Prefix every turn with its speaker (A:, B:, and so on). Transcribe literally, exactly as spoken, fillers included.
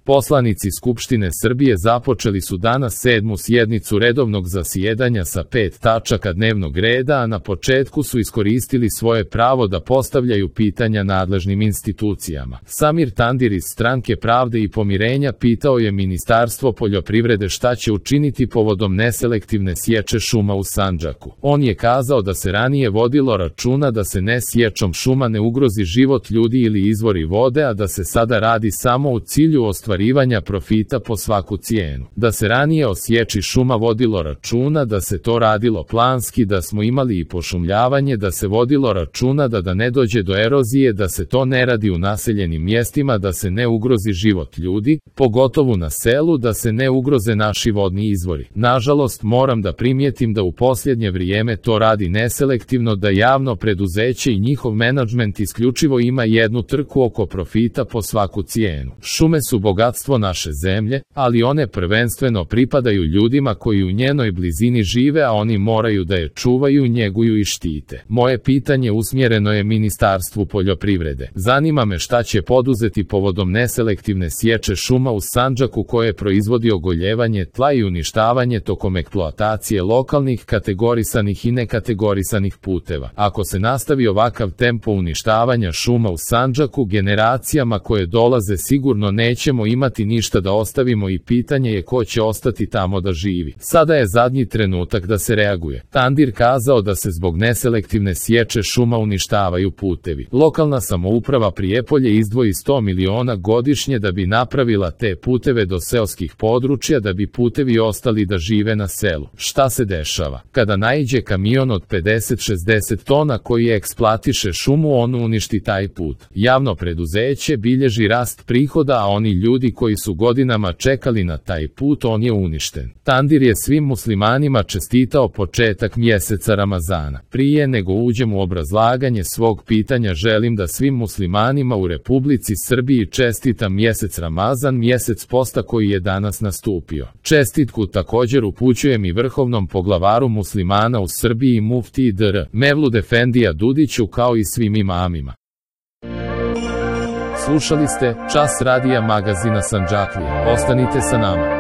A: Poslanici Skupštine Srbije započeli su danas sedmu sjednicu redovnog zasjedanja sa pet tačaka dnevnog reda, a na početku su iskoristili svoje pravo da postavljaju pitanja nadležnim institucijama. Samir Tandir iz Stranke pravde i pomirenja pitao je Ministarstvo poljoprivrede šta će učiniti povodom neselektivne sječe šuma u Sandžaku. On je kazao da se ranije vodilo računa da se ne sječom šuma ne ugrozi život ljudi ili izvori vode, a da se sada radi samo u cilju ostvarivanja profita po svaku cijenu. Da se ranije o sječi šuma vodilo računa, da se to radilo planski, da smo imali i pošumljavanje, da se vodilo računa da da ne dođe do erozije, da se to ne radi u naseljenim mjestima, da se ne ugrozi život ljudi, pogotovo na selu, da se ne ugroze naši vodni izvori. Nažalost, moram da primijetim da u posljednje vrijeme to radi neselektivno, da javno preduzeće i njihov menadžment isključivo ima jednu trku oko profita po svaku cijenu. Šume su bogatstvo naše zemlje, ali one prvenstveno pripadaju ljudima koji u njenoj blizini žive, a oni moraju da je čuvaju, njeguju i štite. Moje pitanje usmjereno je Ministarstvu poljoprivrede. Zanima me šta će poduzeti povodom neselektivne sječe šuma u Sandžaku koje proizvodi ogoljevanje tla i uništavanje tokom eksploatacije lokalnih kategorisanih i nekategorisanih puteva. Ako se nastavi ovakav tempo uništavanja šuma u Sandžaku, generacijama koje dolaze sigurno nećemo imati ništa da ostavimo i pitanje je ko će ostati tamo da živi. Sada je zadnji trenutak da se reaguje. Tandir kazao da se zbog neselektivne sječe šuma uništavaju putevi. Lokalna samouprava Prijepolje izdvoji sto miliona godišnje da bi napravila te puteve do seoskih područja, da bi putevi ostali da žive na selu. Šta se dešava? Kada naiđe kamion od pedeset do šezdeset tona koji eksploatiše šumu, on uništi taj put. Javno preduzeće bilježi rast prihoda, a oni ljudi koji su godinama čekali na taj put, on je uništen. Tandir je svim muslimanima čestitao početak mjeseca Ramazana. Prije nego uđem u obrazlaganje svog pitanja, želim da svim muslimanima u Republici Srbiji čestitam mjesec Ramazan, mjesec posta koji je danas nastupio. Čestitku također upućujem i vrhovnom poglavaru muslimana u Srbiji muftiji dr. Mevlud Efendija Dudiću, kao i svim imamima. Slušali ste Čas radija magazina Sandžaklije. Ostanite sa nama.